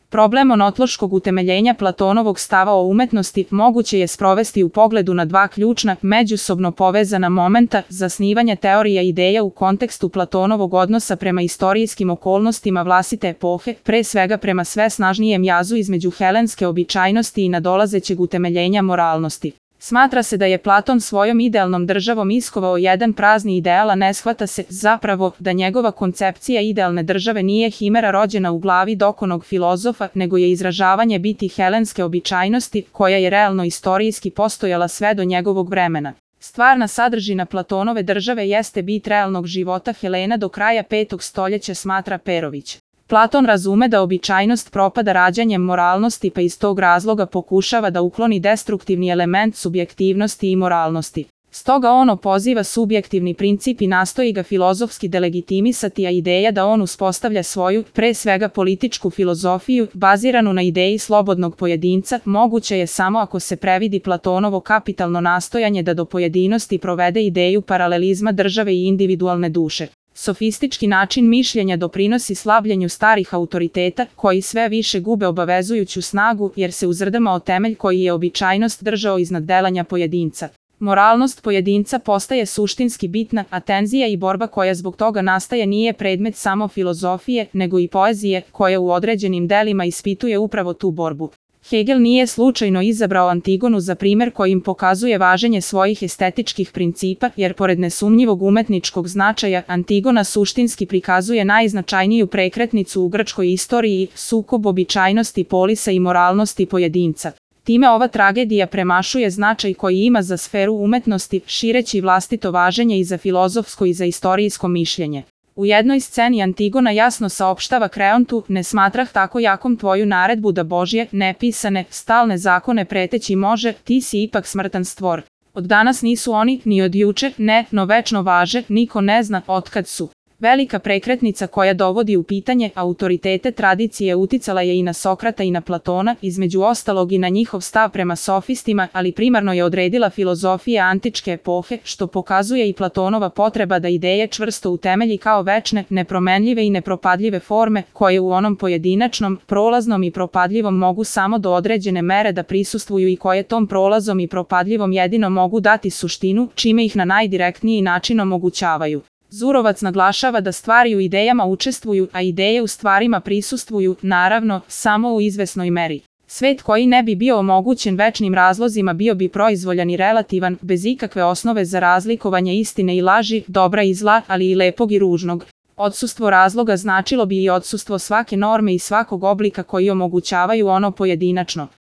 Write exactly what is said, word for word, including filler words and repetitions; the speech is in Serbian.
Problem onotološkog utemeljenja Platonovog stava o umetnosti moguće je sprovesti u pogledu na dva ključna, međusobno povezana momenta: zasnivanje teorija ideja u kontekstu Platonovog odnosa prema istorijskim okolnostima vlastite epohe, pre svega prema sve snažnijem jazu između helenske običajnosti i nadolazećeg utemeljenja moralnosti. Smatra se da je Platon svojom idealnom državom iskovao jedan prazni ideal, a ne shvata se, zapravo, da njegova koncepcija idealne države nije himera rođena u glavi dokonog filozofa, nego je izražavanje biti helenske običajnosti, koja je realno istorijski postojala sve do njegovog vremena. Stvarna sadržina Platonove države jeste bit realnog života Helena do kraja petog stoljeća, smatra Perović. Platon razume da običajnost propada rađanjem moralnosti, pa iz tog razloga pokušava da ukloni destruktivni element subjektivnosti i moralnosti. Stoga on opoziva subjektivni princip i nastoji ga filozofski delegitimisati, a ideja da on uspostavlja svoju, pre svega političku filozofiju, baziranu na ideji slobodnog pojedinca, moguća je samo ako se previdi Platonovo kapitalno nastojanje da do pojedinosti provede ideju paralelizma države i individualne duše. Sofistički način mišljenja doprinosi slabljenju starih autoriteta, koji sve više gube obavezujuću snagu, jer se uzrdama temelj koji je običajnost držao iznad delanja pojedinca. Moralnost pojedinca postaje suštinski bitna, a tenzija i borba koja zbog toga nastaje nije predmet samo filozofije, nego i poezije, koja u određenim delima ispituje upravo tu borbu. Hegel nije slučajno izabrao Antigonu za primer kojim pokazuje važenje svojih estetičkih principa, jer pored nesumnjivog umetničkog značaja, Antigona suštinski prikazuje najznačajniju prekretnicu u grčkoj istoriji, sukob običajnosti polisa i moralnosti pojedinca. Time ova tragedija premašuje značaj koji ima za sferu umetnosti, šireći vlastito važenje i za filozofsko i za istorijsko mišljenje. U jednoj sceni Antigona jasno saopštava Kreontu: ne smatrah tako jakom tvoju naredbu da Božje, nepisane, stalne zakone preteći može, ti si ipak smrtan stvor. Od danas nisu oni, ni od juče, ne, no večno važe, niko ne zna otkad su. Velika prekretnica koja dovodi u pitanje autoritete tradicije uticala je i na Sokrata i na Platona, između ostalog i na njihov stav prema sofistima, ali primarno je odredila filozofija antičke epohe, što pokazuje i Platonova potreba da ideje čvrsto utemelji kao večne, nepromenljive i nepropadljive forme, koje u onom pojedinačnom, prolaznom i propadljivom mogu samo do određene mere da prisustvuju i koje tom prolazom i propadljivom jedino mogu dati suštinu, čime ih na najdirektniji način omogućavaju. Zurovac naglašava da stvari u idejama učestvuju, a ideje u stvarima prisustvuju, naravno, samo u izvesnoj meri. Svet koji ne bi bio omogućen večnim razlozima bio bi proizvoljan i relativan, bez ikakve osnove za razlikovanje istine i laži, dobra i zla, ali i lepog i ružnog. Odsustvo razloga značilo bi i odsustvo svake norme i svakog oblika koji omogućavaju ono pojedinačno.